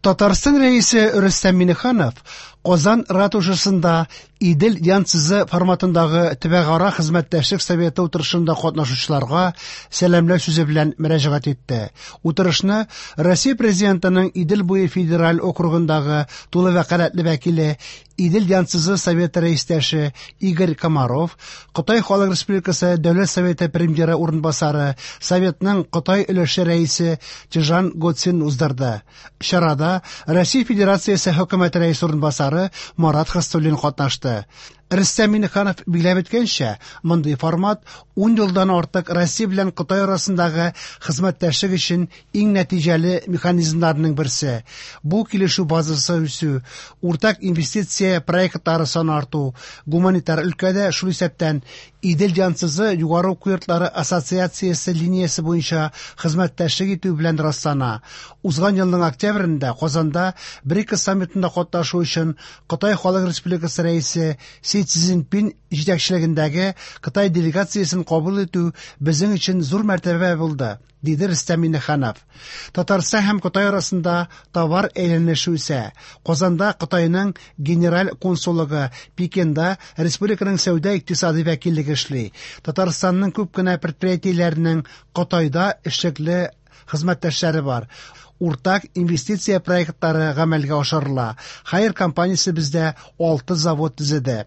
Татарстан Рәисе Рөстәм Миңнеханов Казан ратушасында Идел Янцзы форматындагы төбәкара хезмәттәшлек советы утырышында катнашучыларга сәламләү сүзе белән мөрәҗәгать итте. Утырышны Россия Президентының Идел буе федераль округындагы тулы вәкаләтле вәкиле, Идел Янцзы советы рәистәше Игорь Комаров, Кытай Халык Республикасы Дәүләт Советы премьеры урынбасары, Советның Кытай өлеше рәисе Чжан Гоцин уздырды. Чарада Россия Федерациясе Хөкүмәте рәисе урынбасары Марат Хөснуллин катнашты. Рөстәм Миңнеханов билгеләп үткәнчә, мондый формат 10 елдан артык Россия белән Кытай арасындагы хезмәттәшлек өчен иң нәтиҗәле механизмнарның берсе. Бу килешү базасы үсү, уртак инвестиция проектлары саны арту, гуманитар өлкәдә, шул исәптән Идел Янцзы югары уку йортлары ассоциациясе линиясе буенча хезмәттәшлек итү белән раслана. Узган елның октябрендә Казанда БРИКС саммитында катнашу өчен Кытай Халык Республикасы Рәисе Си Цзиньпин җитәкчелегендәге Кытай делегациясен кабул итү безнең өчен зур мәртәбә булды, диде Рөстәм Миңнеханов. Татарстан һәм Кытай арасында товар әйләнеше үсә. Казанда Кытайның генераль консуллыгы, Пекинда республиканың сәүдә-икътисади вәкиллеге эшли. Татарстанның күп кенә предприятиеләренең Кытайда эшлекле хезмәттәшләре бар. Уртак инвестиция проектлары гамәлгә ашырыла. Хайер компаниясе бездә алты завод төзеде.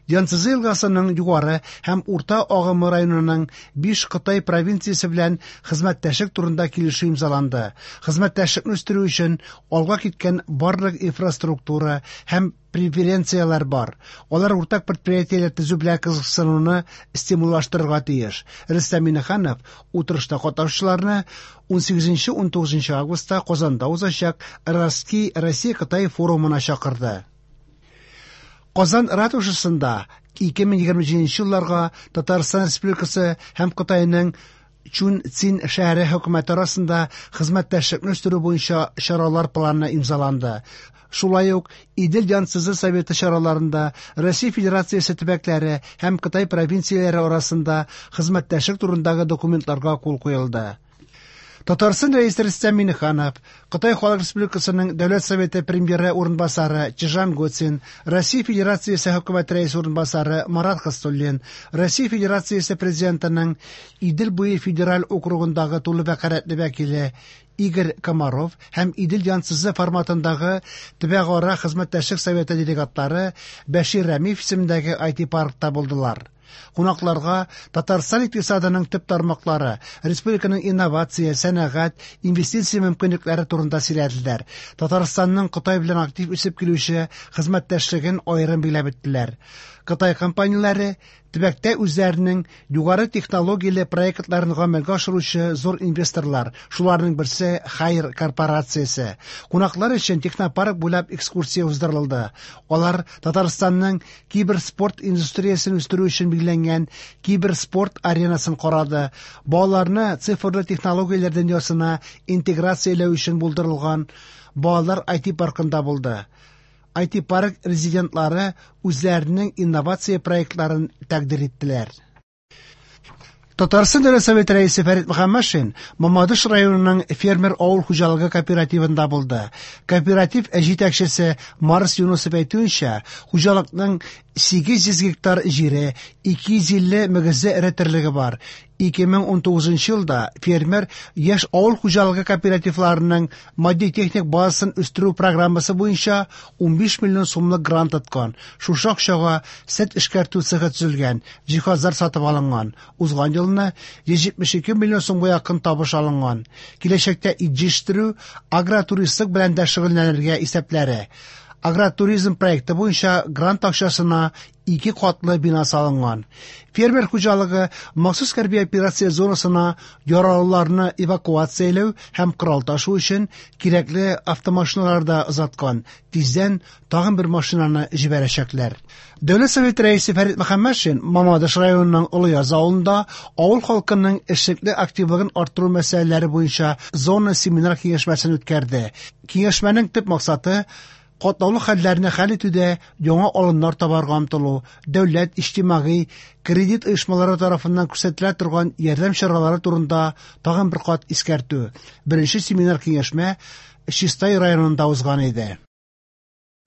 Янцзы елгасының югары һәм урта агымы районының биш Кытай провинциясе белән хезмәттәшлек турында килешү имзаланды. Хезмәттәшлекне үстерү өчен алга киткән барлык инфраструктура һәм преференцияләр бар. Алар уртак предприятиеләр төзү белән кызыксынуны стимуллаштырырга тиеш. Рөстәм Миңнеханов утырышта катнашучыларны 18-19 августта Казанда узачак Россия-Кытай форумына чакырды. Казан ратушасында 2027 елларга Татарстан Республикасы һәм Кытайның Чунцин шәһәре хөкүмәте арасында хезмәттәшлекне үстерү буенча чаралар планы имзаланды. Шулай ук Идел Янцзы Советы чараларында Россия Федерациясе төбәкләре һәм Кытай провинцияләре арасында хезмәттәшлек турындагы документларга кул куелды. Татарстан Рәисе Рөстәм Миңнеханов, Кытай Халык Республикасының Дәүләт Советы премьеры урынбасары Чжан Гоцин, Россия Федерациясе Хөкүмәте Рәисе урынбасары Марат Хөснуллин, Россия Федерациясе Президентының Идел буе федераль округындагы тулы вәкаләтле вәкиле Игорь Комаров һәм Идел Янцзы форматындагы төбәкара хезмәттәшлек советы делегатлары Бәшир Рәмиев исемендәге IT-паркта булдылар. Кунакларга Татарстан икътисадының төп тармаклары, республиканың инновация, сәнәгать, инвестиция мөмкинлекләре турында сөйләделәр. Татарстанның Кытай белән актив үсеп килүче хезмәттәшлеген аерым билгеләп үттеләр. Кытай компанияләре төбәктә үзләренең югары технологияле проектларын гамәлгә ашыручы зур инвесторлар, шуларның берсе Хайер корпорациясе. Кунаклар өчен технопарк буйлап экскурсия уздырылды. Алар Татарстанның киберспорт индустриясен үстерү өчен билгеләнгән киберспорт аренасын карады, балаларны цифрлы технологияләр дөньясына интеграцияләү өчен булдырылган балалар IT-паркында булды. IT-парк резидентлары үзләренең инновация проектларын тәкъдир иттеләр. Татарстан Дәүләт Советы Рәисе Фәрит Мөхәммәтшин Мамадыш районының фермер авыл хуҗалыгы кооперативында булды. Кооператив җитәкчесе Марс Юнусов әйтүенчә, хуҗалыкның 800 гектар җире, 250 мөгезле эре терлеге бар. 2019 елда фермер яшь авыл хуҗалыгы кооперативларының матди-техник базасын үстерү программасы буенча 15 миллион сумлык грант откан. Шушы акчага сөт эшкәртү цехы төзелгән, җиһазлар сатып алынган. Узган елны 172 миллион сумга якын табыш алынган. Киләчәктә ит җитештерү, агротуристлык белән дә шөгыльләнергә исәпләре. Агротуризм проекты буенча грант акчасына ике катлы бина салынган. Фермер хуҗалыгы махсус хәрби операция зонасына яралыларны эвакуацияләү һәм корал ташу өчен кирәкле автомашиналар да озаткан. Тиздән тагын бер машинаны җибәрәчәкләр. Дәүләт Советы Рәисе Фәрит Мөхәммәтшин Мамадыш районының Олыяз авылында авыл халкының эшлекле активлыгын арттыру мәсьәләләре буенча зона семинар киңәшмәсен үткәрде. Киңәшмәнең төп максаты катлаулы хәлләрне хәл итүдә яңа алымнар табарга омтылу, дәүләт, иҗтимагый, кредит оешмалары тарафыннан күрсәтелә торган ярдәм чаралары турында тагын бер кат искәртү. Беренче семинар киңәшмә Чистай районында узган иде.